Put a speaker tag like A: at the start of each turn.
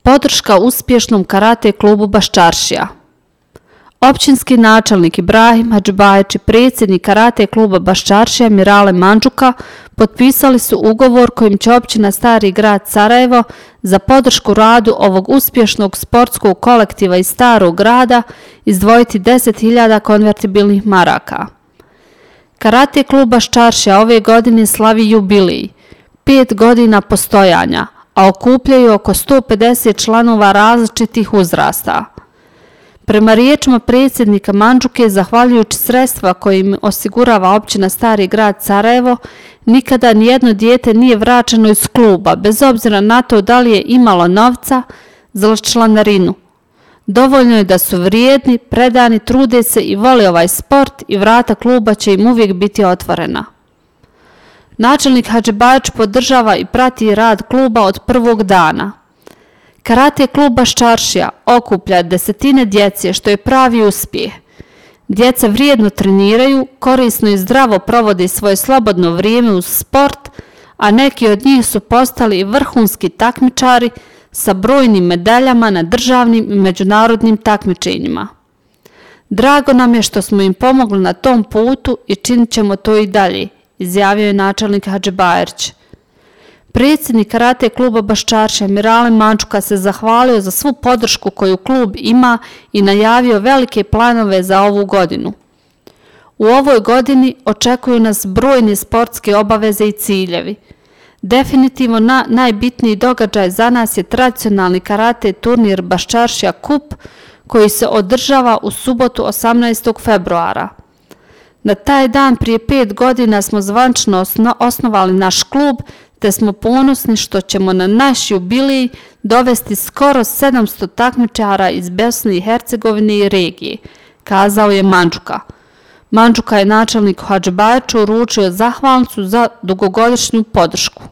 A: Podrška uspješnom karate klubu Baščaršija. Općinski načelnik Ibrahim Hadžibajić i predsjednik karate kluba Baščaršija Mirale Mandžuka potpisali su ugovor kojim će općina Stari grad Sarajevo za podršku radu ovog uspješnog sportskog kolektiva iz Starog grada izdvojiti 10.000 konvertibilnih maraka. Karate klub Baščaršija ove godine slavi jubilej, 5 godina postojanja, a okupljaju oko 150 članova različitih uzrasta. Prema riječima predsjednika Mandžuke, zahvaljujući sredstva koje im osigurava općina Stari grad Sarajevo, nikada nijedno dijete nije vraćeno iz kluba, bez obzira na to da li je imalo novca za članarinu. Dovoljno je da su vrijedni, predani, trude se i vole ovaj sport i vrata kluba će im uvijek biti otvorena. Načelnik Hadžibajić podržava i prati rad kluba od prvog dana. Karate klub Baščaršija okuplja desetine djece, što je pravi uspjeh. Djeca vrijedno treniraju, korisno i zdravo provode svoje slobodno vrijeme uz sport, a neki od njih su postali vrhunski takmičari sa brojnim medaljama na državnim i međunarodnim takmičenjima. Drago nam je što smo im pomogli na tom putu i činit ćemo to i dalje, izjavio je načelnik Hadžibajić. Predsjednik karate kluba Baščaršija Mirale Mandžuka se zahvalio za svu podršku koju klub ima i najavio velike planove za ovu godinu. U ovoj godini očekuju nas brojne sportske obaveze i ciljevi. Definitivno najbitniji događaj za nas je tradicionalni karate turnir Baščaršija Kup koji se održava u subotu 18. februara. Na taj dan prije 5 godina smo zvančno osnovali naš klub, te smo ponosni što ćemo na naš jubilej dovesti skoro 700 takmičara iz Bosne i Hercegovine i regije, kazao je Mandžuka. Mandžuka je načelniku Hadžibajiću uručio zahvalnicu za dugogodišnju podršku.